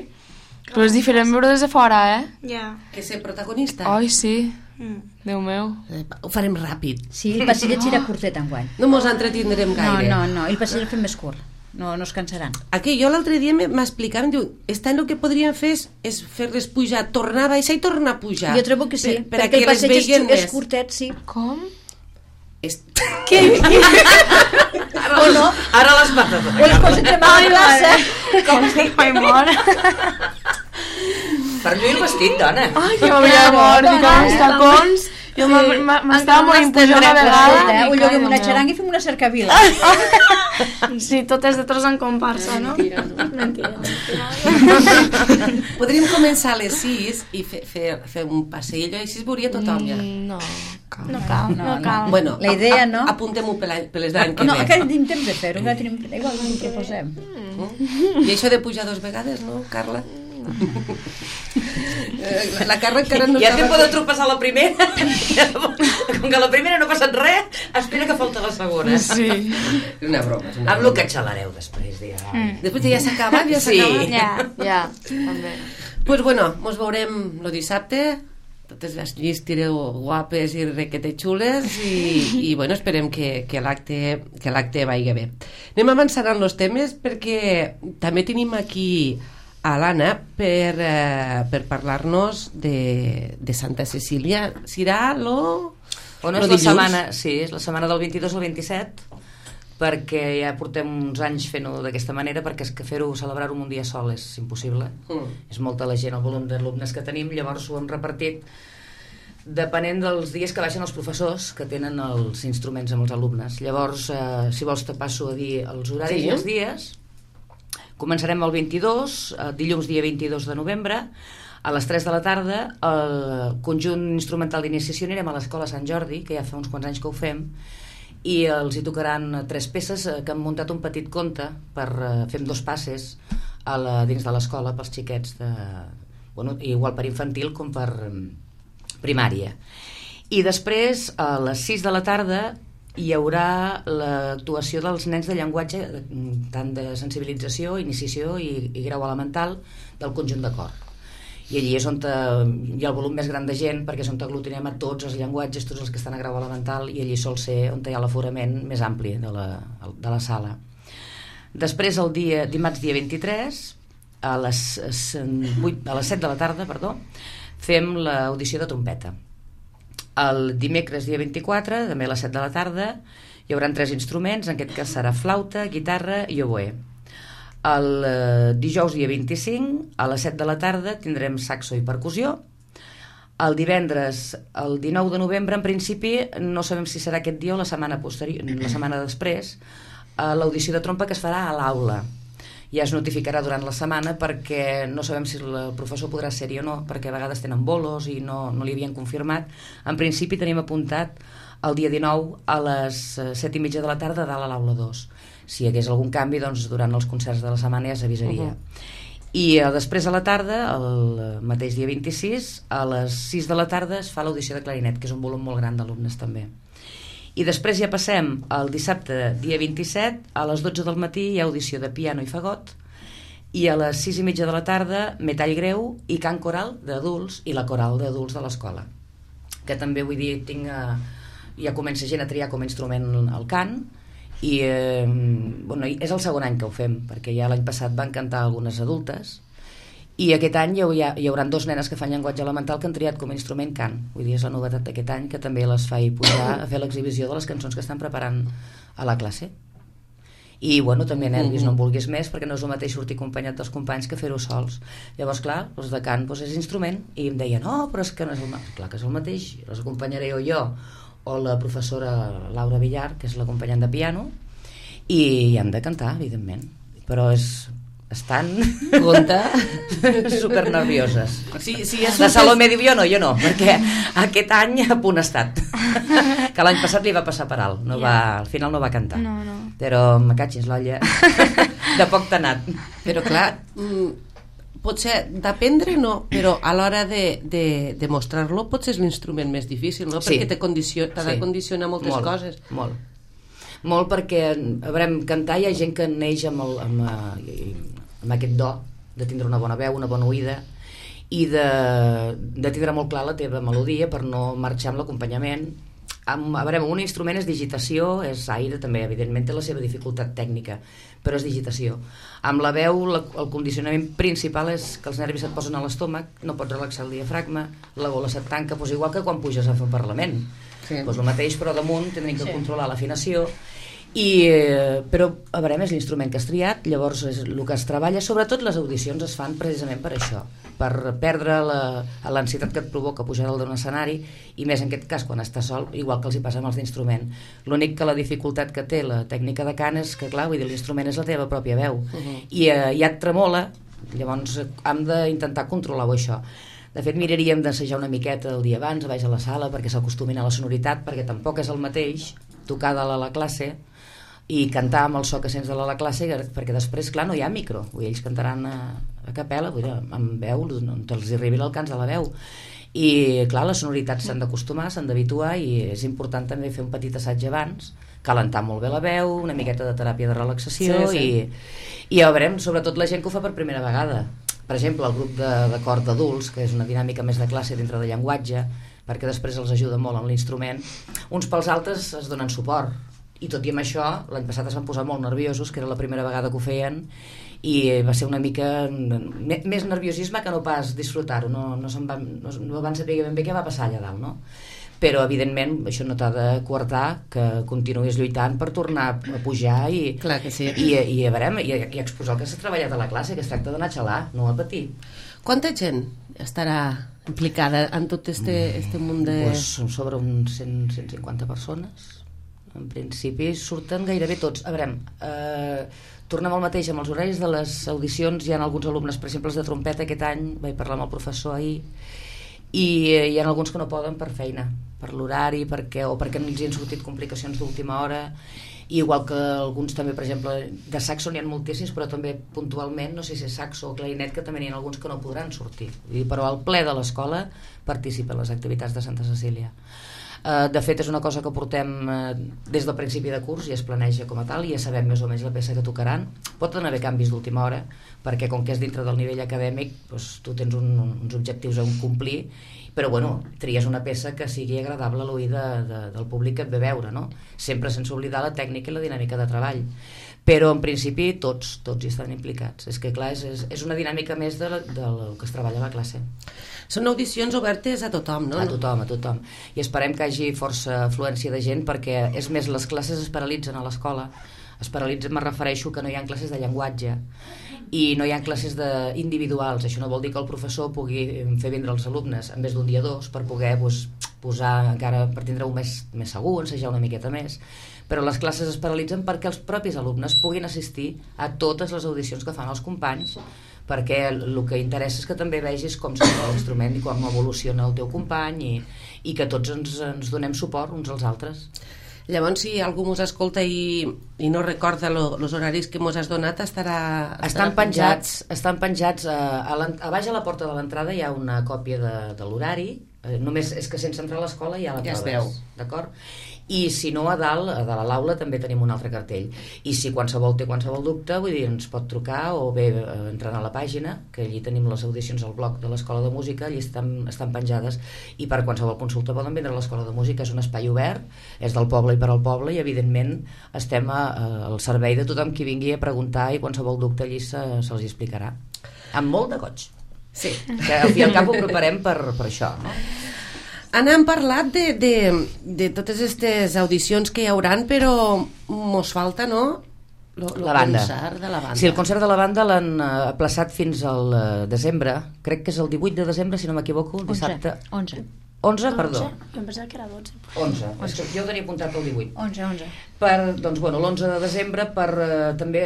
Però és diferent veure des de fora, Ja. Que ser protagonista. Ai, sí. Déu meu. Ho farem ràpid. Sí, el passillet serà curtet enguany. No mos entretindrem gaire. No, i el passillet el fem més curt. No es cansaran. Aquí jo l'altre dia m'explicaven, diu, este any el que podríem fer és fer-les pujar, tornar a baixar i tornar a pujar. Jo trobo que sí, per a perquè que el les passeig vegin és més. curtet, sí. Com? Què? O no, Ara les mates. o les pots entremar a la plaça. Ai, mort. Per lluir el vestit, dona. Ai, que m'havia mort. I com els tacons. Jo m'estava morint pujant una vegada. Ho lloguem una xaranga i fem una cercavila. Sí, tot és de tros en comparsa, no? Mentira. Podríem començar a les 6 i fer un passeig i així es veuria tothom ja. No, No cal. Bueno, La idea, no? Apuntem-ho per les d'any que No, ve. encara tenim temps de fer-ho, encara tenim... Igual ho proposem. I això de pujar 2 vegades, no, Carla? La Carla encara no Ja estava... te poden tropeçar la primera. Com que la primera no ha passat res, espera que falta la segona. Sí. Una broma. És una Amb lo broma. que xalareu després, dia. Després ja s'ha acabat, ja s'ha Sí. acabat. Ja, també. Pues bueno, mos veurem el dissabte, totes les llistireu guapes i requete xules i bueno, esperem que l'acte vagi bé. Anem avançant en els temes perquè també tenim aquí a l'Anna per parlar-nos de Santa Cecília. Serà Bueno, és la setmana, sí, és la setmana del 22 al 27, perquè ja portem uns anys fent-ho d'aquesta manera, perquè és que fer-ho, celebrar-ho en un dia sol és impossible. És molta la gent, el volum d'alumnes que tenim, llavors ho hem repartit depenent dels dies que baixen els professors que tenen els instruments amb els alumnes. Llavors, si vols te passo a dir els horaris i els dies. Començarem el 22, dilluns dia 22 de novembre, a les 3 de la tarda. El conjunt instrumental d'iniciació anirem a l'Escola Sant Jordi, que ja fa uns quants anys que ho fem, i els hi tocaran 3 peces que han muntat un petit conte per fer 2 passes dins de l'escola pels xiquets igual per infantil com per primària. I després a les 6 de la tarda hi haurà l'actuació dels nens de llenguatge, tant de sensibilització, iniciació i grau elemental del conjunt de cor. I allí és on hi ha el volum més gran de gent, perquè és on aglutinem a tots els llenguatges, tots els que estan a grau elemental, i allí sol ser on hi ha l'aforament més ampli de la sala. Després, dimarts dia 23, a les 7 de la tarda, fem l'audició de trompeta. El dimecres dia 24, també a les 7 de la tarda, hi haurà 3 instruments, en aquest cas serà flauta, guitarra i oboè. El dijous dia 25, a les 7 de la tarda, tindrem saxo i percussió. El divendres, el 19 de novembre, en principi, no sabem si serà aquest dia o la setmana després, l'audició de trompa que es farà a l'aula. Ja es notificarà durant la setmana perquè no sabem si el professor podrà ser-hi o no, perquè a vegades tenen bolos i no li havien confirmat. En principi tenim apuntat el dia 19 a les 7:30 de la tarda dalt a l'aula 2. Si hi hagués algun canvi, doncs durant els concerts de la setmana ja s'avisaria. I després a la tarda, el mateix dia 26, a les 6 de la tarda es fa l'audició de clarinet, que és un volum molt gran d'alumnes també. I després ja passem al dissabte, dia 27, a les 12 del matí hi ha audició de piano i fagot, i a les 6:30 de la tarda metall greu i cant coral d'adults i la coral d'adults de l'escola, que també vull dir, ja comença gent a triar com a instrument el cant, i és el segon any que ho fem, perquè ja l'any passat van cantar algunes adultes, i aquest any hi haurà 2 nenes que fan llenguatge elemental que han triat com a instrument cant. Vull dir, és la novetat d'aquest any, que també les faig pujar a fer l'exhibició de les cançons que estan preparant a la classe. I també nervis, no en vulguis més, perquè no és el mateix sortir acompanyat dels companys que fer-ho sols. Llavors, clar, els de cant és instrument, i em deien, no, però és que no és el mateix. Clar que és el mateix, les acompanyaré jo o la professora Laura Villar, que és l'acompanyant de piano, i han de cantar, evidentment, però estan supernervioses. Sí, La Salomé diu jo no, perquè aquest any a punt ha estat. que l'any passat li va passar per alt, al final no va cantar. No. Però me catxis l'olla, de poc t'ha anat. Però clar, potser d'aprendre no, però a l'hora de mostrar-lo potser és l'instrument més difícil, no? Perquè t'ha de condicionar moltes coses. Molt, perquè a veure, cantar hi ha gent que neix amb aquest do de tindre una bona veu, una bona oïda, i de tindre molt clar la teva melodia per no marxar amb l'acompanyament. A veure, un instrument és digitació, és aire també, evidentment té la seva dificultat tècnica, però és digitació. Amb la veu el condicionament principal és que els nervis et posen a l'estómac, no pots relaxar el diafragma, la gola se't tanca, doncs igual que quan puges a fer un parlament. Doncs el mateix, però damunt tindrem que controlar l'afinació. Però a veure, és l'instrument que has triat, llavors és el que es treballa, sobretot les audicions es fan precisament per això, per perdre l'ansietat que et provoca pujar dalt d'un escenari, i més en aquest cas quan estàs sol, igual que els hi passa amb els d'instrument. L'únic que la dificultat que té la tècnica de cant és que, clar, vull dir, l'instrument és la teva pròpia veu, i ja et tremola, llavors hem d'intentar controlar-ho, això. De fet, miraríem d'assajar una miqueta el dia abans, a baix a la sala, perquè s'acostumin a la sonoritat, perquè tampoc és el mateix tocar dalt a la classe i cantar amb el so que sents de la classe, perquè després, clar, no hi ha micro, ells cantaran a capella, amb veu, on els arribi l'alcance de la veu, i clar, les sonoritats s'han d'acostumar, s'han d'habituar, i és important també fer un petit assaig abans, calentar molt bé la veu, una miqueta de teràpia de relaxació, i ja veurem, sobretot la gent que ho fa per primera vegada. Per exemple, el grup de cor d'adults, que és una dinàmica més de classe dintre de llenguatge, perquè després els ajuda molt en l'instrument, uns pels altres es donen suport, i tot i amb això, l'any passat es van posar molt nerviosos, que era la primera vegada que ho feien, i va ser una mica més nerviosisme que no pas disfrutar-ho, no van saber ben bé què va passar allà dalt, no? Però evidentment això no t'ha de coartar que continuïs lluitant per tornar a pujar i exposar el que s'ha treballat a la classe, que es tracta d'anar a xalar, no a patir. Quanta gent estarà implicada en tot este munt de... Són sobre uns 150 persones. En principi surten gairebé tots. A veure, tornem al mateix amb els horaris de les audicions. Hi ha alguns alumnes, per exemple, els de trompeta aquest any, vaig parlar amb el professor ahir, i hi ha alguns que no poden per feina, per l'horari, o perquè els hi han sortit complicacions d'última hora, i igual que alguns també, per exemple, de saxo n'hi ha moltíssims, però també puntualment, no sé si és saxo o clarinet, que també n'hi ha alguns que no podran sortir. Però al ple de l'escola participa en les activitats de Santa Cecília. De fet, és una cosa que portem des del principi de curs i es planeja com a tal, i ja sabem més o menys la peça que tocaran. Pot haver canvis d'última hora, perquè com que és dintre del nivell acadèmic, doncs tu tens uns objectius a complir, però bueno, tries una peça que sigui agradable a l'oïda del públic que et ve veure, no? Sempre sense oblidar la tècnica i la dinàmica de treball. Però en principi tots hi estan implicats. És que clar, és una dinàmica més del que es treballa a la classe. Són audicions obertes a tothom, no? A tothom. I esperem que hi hagi força afluència de gent, perquè és més, les classes es paralitzen a l'escola. Es paralitzen, me refereixo que no hi ha classes de llenguatge i no hi ha classes individuals. Això no vol dir que el professor pugui fer vindre els alumnes en més d'un dia dos per poder posar encara, per tindre-ho més segur, ensejar una miqueta més. Però les classes es paralitzen perquè els propis alumnes puguin assistir a totes les audicions que fan els companys, perquè el que interessa és que també vegis com sona l'instrument i com evoluciona el teu company, i que tots ens donem suport uns als altres. Llavors, si algú mos escolta i no recorda els horaris que mos has donat, estan penjats a baix a la porta de l'entrada hi ha una còpia de l'horari, només és que sense entrar a l'escola ja la proves, es veu, d'acord? I si no, a dalt, a l'aula també tenim un altre cartell, i si qualsevol té qualsevol dubte, vull dir, ens pot trucar o bé entrant a la pàgina, que allí tenim les audicions al blog de l'Escola de Música, allí estan penjades, i per qualsevol consulta poden vindre a l'Escola de Música. És un espai obert, és del poble i per al poble, i evidentment estem al servei de tothom qui vingui a preguntar, i qualsevol dubte allí se'ls explicarà amb molt de goig. Sí, que al fi i al cap ho preparem per això, no? Anna, hem parlat de totes aquestes audicions que hi hauran, però mos falta, no?, la banda. Concert de la banda. Sí, el concert de la banda l'han aplaçat fins al desembre, crec que és el 18 de desembre, si no m'equivoco, el dissabte. 11. 11, perdó. Jo em pensava que era 12. 11. Jo ho tenia apuntat el 18. 11. Doncs, bueno, l'11 de desembre també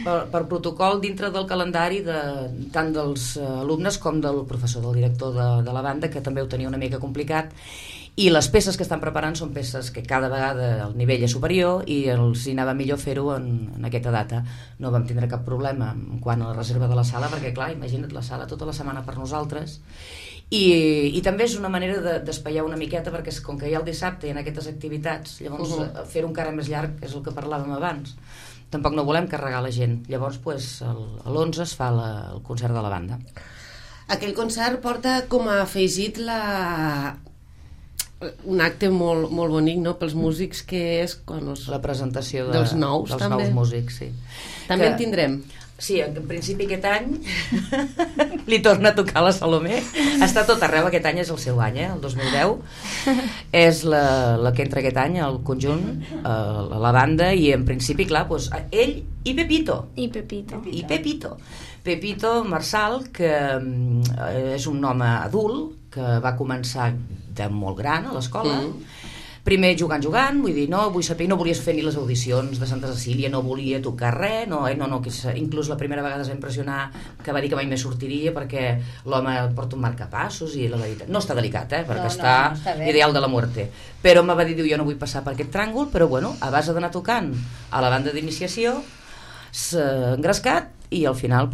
per protocol dintre del calendari tant dels alumnes com del professor, del director de la banda, que també ho tenia una mica complicat, i les peces que estan preparant són peces que cada vegada el nivell és superior i els hi anava millor fer-ho en aquesta data. No vam tindre cap problema en quant a la reserva de la sala, perquè clar, imagina't la sala tota la setmana per nosaltres. I també és una manera d'espaiar una miqueta, perquè com que hi ha el dissabte i en aquestes activitats, llavors fer-ho encara més llarg, és el que parlàvem abans. Tampoc no volem carregar la gent. Llavors l'11 es fa el concert de la banda. Aquell concert porta com a afegit un acte molt bonic, no?, pels músics, que és quan la presentació dels nous músics, sí. També en tindrem. Sí, en principi aquest any li torna a tocar la Salomé. Està tot arreu, aquest any és el seu any, el 2010. És la que entra aquest any, el conjunt, la banda, i en principi, clar, doncs, ell i Pepito. Pepito Marçal, que és un home adult, que va començar de molt gran a l'escola. Primer jugant, vull dir, no volies fer ni les audicions de Santa Cecília, no volia tocar res, inclús la primera vegada es va impressionar que va dir que mai més sortiria perquè l'home porta un marcapassos i la veritat, no està delicat, perquè està ideal de la muerte, però me va dir, jo no vull passar per aquest tràngol, però bueno, a base d'anar tocant a la banda d'iniciació s'ha engrescat i al final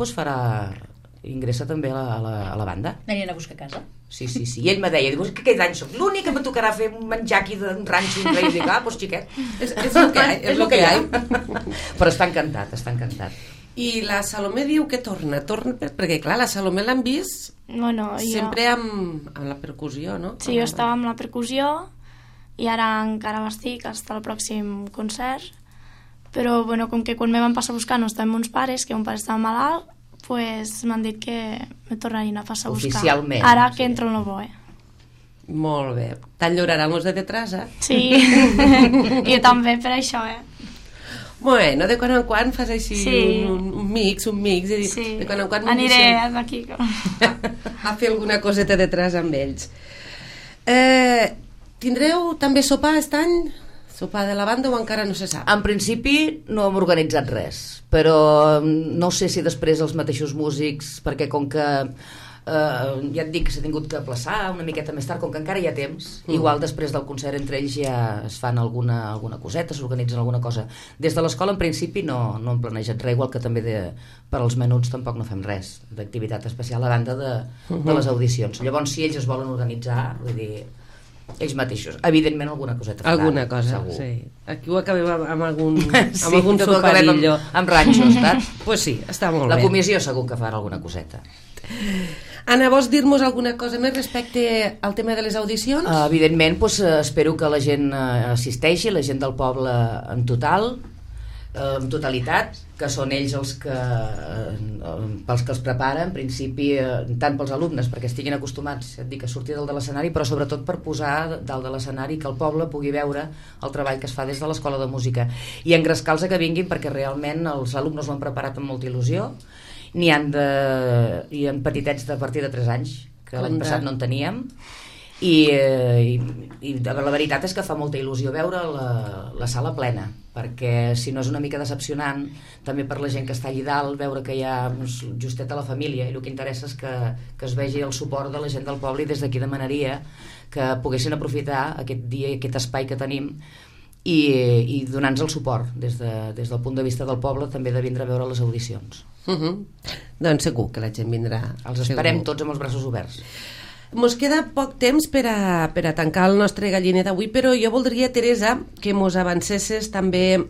ingressa també a la banda. Venien a buscar casa. Sí. I ell me deia, que aquest any soc l'únic que me tocarà fer un menjar aquí d'un ranxo i dic, doncs xiquet, és el que hi ha. Però està encantat. I la Salomé diu que torna, perquè clar, la Salomé l'han vist sempre amb la percussió, no? Sí, jo estava amb la percussió i ara encara l'estic fins al pròxim concert, però com que quan me van passar a buscar no estàvem uns pares, que un pare estava malalt, pues m'han dit que me tornarien a passar a buscar. Oficialment. Ara que entro en el BOE. Molt bé. T'enllorarem els de detrás, Sí. Jo també, per això, Bueno, de quan en quan fas així un mix, i de quan en quan aniré d'aquí a fer alguna coseta detrás amb ells. Tindreu també sopar aquest any? Sopar de la banda o encara no se sap? En principi no hem organitzat res, però no sé si després els mateixos músics, perquè com que ja et dic que s'ha tingut que aplaçar una miqueta més tard, com que encara hi ha temps, igual després del concert entre ells ja es fan alguna coseta, s'organitzen alguna cosa. Des de l'escola en principi no hem planejat res, igual que també per als menuts tampoc no fem res d'activitat especial a banda de les audicions. Llavors si ells es volen organitzar, vull dir, ells mateixos, evidentment alguna coseta alguna cosa, segur. Sí. Aquí ho acabem amb algun soparillo amb ranxos, pues sí, està molt bé. La comissió comissió segur que farà alguna coseta. Anna, vols dir-nos alguna cosa més respecte al tema de les audicions? Evidentment, espero que la gent assisteixi, la gent del poble en total, en totalitat, que són ells pels que els prepara, en principi, tant pels alumnes, perquè estiguin acostumats a sortir dalt de l'escenari, però sobretot per posar dalt de l'escenari que el poble pugui veure el treball que es fa des de l'escola de música i engrescar-los que vinguin, perquè realment els alumnes ho han preparat amb molta il·lusió. N'hi ha petitets de partir de 3 anys, que l'any passat no en teníem, i la veritat és que fa molta il·lusió veure la sala plena, perquè si no és una mica decepcionant també per la gent que està allà dalt, veure que hi ha justet a la família, i el que interessa és que es vegi el suport de la gent del poble, i des d'aquí demanaria que poguessin aprofitar aquest dia i aquest espai que tenim i donar-nos el suport des del punt de vista del poble, també de vindre a veure les audicions. Doncs segur que la gent vindrà. Els esperem tots amb els braços oberts. Mos queda poc temps per a tancar el nostre galliner d'avui, però jo voldria, Teresa, que mos avancessis també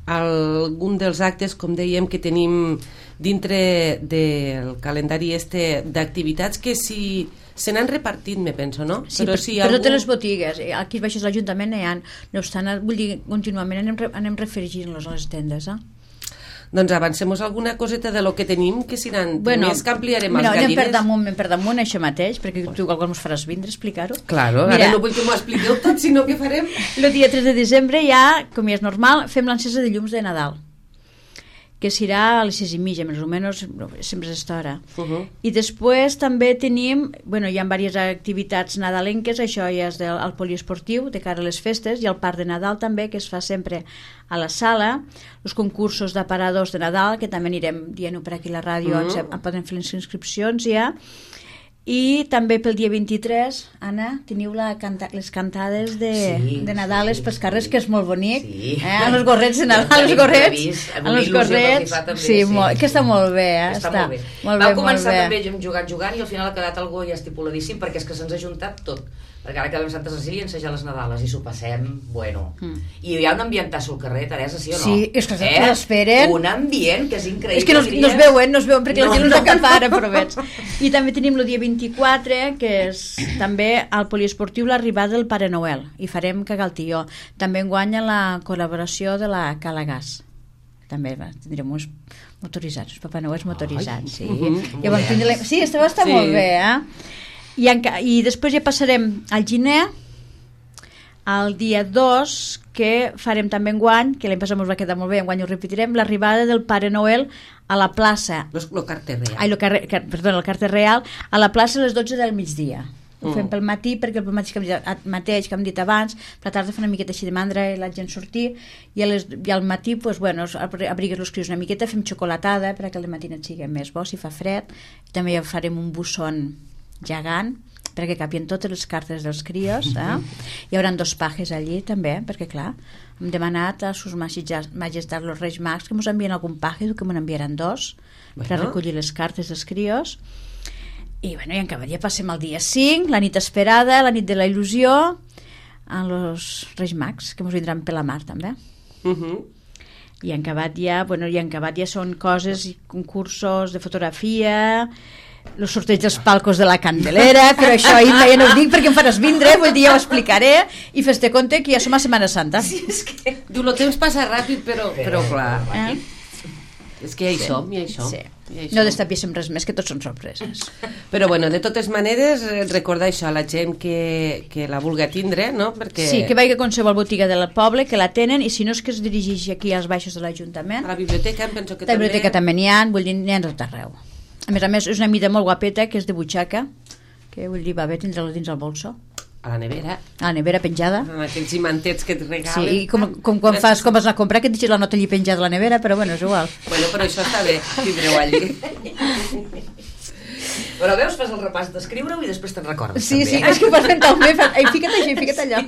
algun dels actes, com dèiem, que tenim dintre del calendari d'activitats, que si se n'han repartit, me penso, no? Sí, però totes les botigues, aquí baixos a l'Ajuntament no hi ha, no obstant, vull dir, contínuament anem referint-los a les tendes, Doncs avancem-nos alguna coseta de lo que tenim, que si n'han més que ampliarem els gallines. Anem per damunt això mateix, perquè tu igual ens faràs vindre a explicar-ho. Claro, ara no vull que m'ho expliqueu tot, sinó que farem... El dia 3 de desembre ja, com ja és normal, fem l'encesa de llums de Nadal. que serà a les 6:30, més o menys, sempre és aquesta hora. I després també tenim, hi ha diverses activitats nadalenques, això ja és del poliesportiu, de cara a les festes, i el parc de Nadal també, que es fa sempre a la sala, els concursos d'aparadors de Nadal, que també anirem dient-ho per aquí a la ràdio, poden fer les inscripcions ja. I també pel dia 23, Anna, teniu les cantades de Nadal pels carrers, que és molt bonic. Sí. Amb els gorrets de Nadal, els gorrets. Amb els gorrets. Sí, que està molt bé. Està molt bé. Va començar també jugant i al final ha quedat algo ja estipuladíssim, perquè és que se'ns ha juntat tot. Perquè ara que vam a Santa Cecília ensejar les Nadales i s'ho passem, bueno. I hi ha un ambientasso al carrer, Teresa, sí o no? Sí, és que l'esperen. Un ambient que és increïble. És que no es veuen perquè la gent no s'acapara, però veig. I també tenim el dia 24, que és també al poliesportiu l'arribada del Pare Noel, i farem cagar el tió. També guanya la col·laboració de la Cala Gas. També tindrem uns motoritzats, Papa Noel motoritzats, sí. Sí, està molt bé, I després ja passarem al Giner, el dia 2, que farem també enguany, que l'any passat ens va quedar molt bé, enguany ho repetirem, l'arribada del Pare Noel a la plaça. El carter real. El carter real, a la plaça a les 12 del migdia. Ho fem pel matí, perquè el mateix que hem dit abans, per la tarda fa una miqueta així de mandra i la gent sortir, i al matí abrigues els crios una miqueta, fem xocolatada perquè al matí et sigui més bo si fa fred, i també ja farem un busson gegant perquè capien totes les cartes dels crios, hi haurà 2 pajes allí també, perquè clar, hem demanat a sus majestats los Reis Mags que ens envien algun paje, que me'n enviaran 2 per recollir les cartes dels crios. I en acabat ja passem al dia 5, la nit esperada, la nit de la il·lusió, a los Reis Mags, que ens vindran per la mar també. I en acabat ja són coses i concursos de fotografia, el sorteig dels palcos de la Candelera, però això ja no ho dic perquè em faràs vindre, vull dir, ja ho explicaré, i fes-te compte que ja som a Setmana Santa. Sí, és que... Diu, el temps passa ràpid, però clar. És que ja hi som. Sí. No destapíssim res més, que tots són sorpreses. Però bueno, de totes maneres, recordar això a la gent que la vulgui tindre, no? Perquè... Sí, que vagi a qualsevol botiga del poble, que la tenen, i si no és que es dirigeixi aquí als baixos de l'Ajuntament. A la biblioteca, penso que també. A la biblioteca també n'hi ha, vull dir, n'hi ha tot arreu. A més, és una mida molt guapeta, que és de butxaca, que vull dir, va bé tindre-la dins el bolso. A la nevera. A la nevera penjada. Amb aquells imantets que et regalen. Sí, i com quan vas a comprar, que et deixes la nota allí penjada a la nevera, però bueno, és igual. Bueno, però això està bé, tindreu allí. Però veus, fas el repàs d'escriure-ho i després te'n recordes. Sí, també. Sí, és que ho fas mentalment. Fica't això i fica't allò.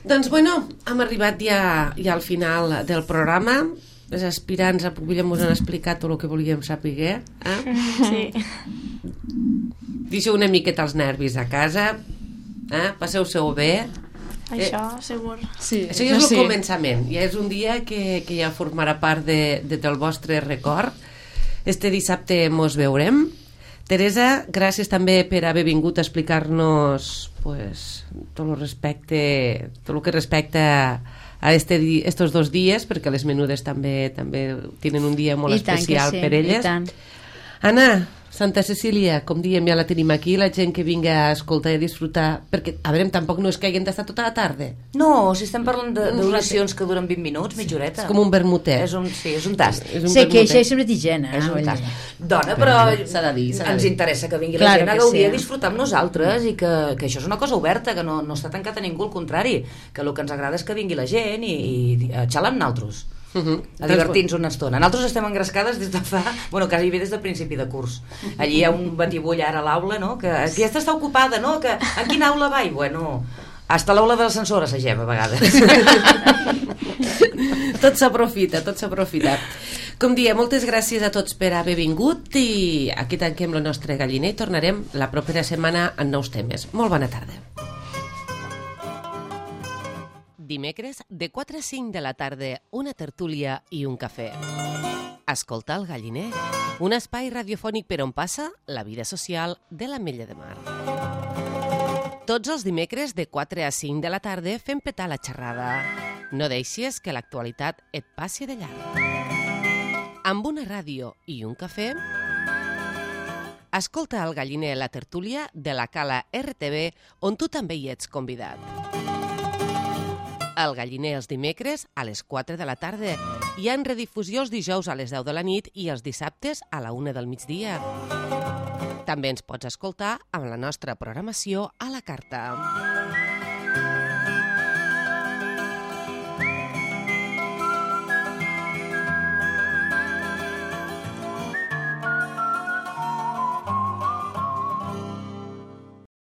Doncs bueno, hem arribat ja al final del programa. Les aspirants a Pubilla ens han explicat tot el que volíem saber. Sí. Deixeu una miqueta els nervis a casa, passeu-se-ho bé. Això, segur. Sí, això ja és el començament, ja és un dia que ja formarà part del vostre record. Este dissabte mos veurem. Teresa, gràcies també per haver vingut a explicar-nos tot el que respecta a estos 2 dies, perquè les menudes també tenen un dia molt especial per elles. Anna, Santa Cecília, com diem, ja la tenim aquí, la gent que vinga a escoltar i a disfrutar, perquè, a veure, tampoc no és que hagin d'estar tota la tarda. No, si estem parlant d'oracions que duren 20 minuts, mitja horeta. És com un vermutet. És un tast. Sé que això és sempre d'higiene. És un tast. Dona, però s'ha de dir. Ens interessa que vingui la gent a gaudir, a disfrutar amb nosaltres, i que això és una cosa oberta, que no està tancat a ningú, al contrari, que el que ens agrada és que vingui la gent i a xalar amb nosaltres. A divertir-nos una estona. Nosaltres estem engrescades des de fa... quasi bé des del principi de curs. Allí hi ha un batibull ara a l'aula, no? Que aquesta està ocupada, no? Que en quina aula va? I hasta l'aula de l'ascensor assagem a vegades. Tot s'aprofita. Com diem, moltes gràcies a tots per haver vingut, i aquí tanquem el nostre galliner i tornarem la propera setmana amb nous temes. Molt bona tarda. Dimecres, de 4 a 5 de la tarda, una tertúlia i un cafè. Escolta el galliner, un espai radiofònic per on passa la vida social de l'Ametlla de Mar. Tots els dimecres, de 4 a 5 de la tarda, fem petar la xerrada. No deixis que l'actualitat et passi de llarg. Amb una ràdio i un cafè, escolta el galliner, la tertúlia de la Cala RTV, on tu també hi ets convidat. El Galliner els dimecres a les 4 de la tarda i en redifusió els dijous a les 10 de la nit i els dissabtes a la 1 del migdia. També ens pots escoltar amb la nostra programació a la carta.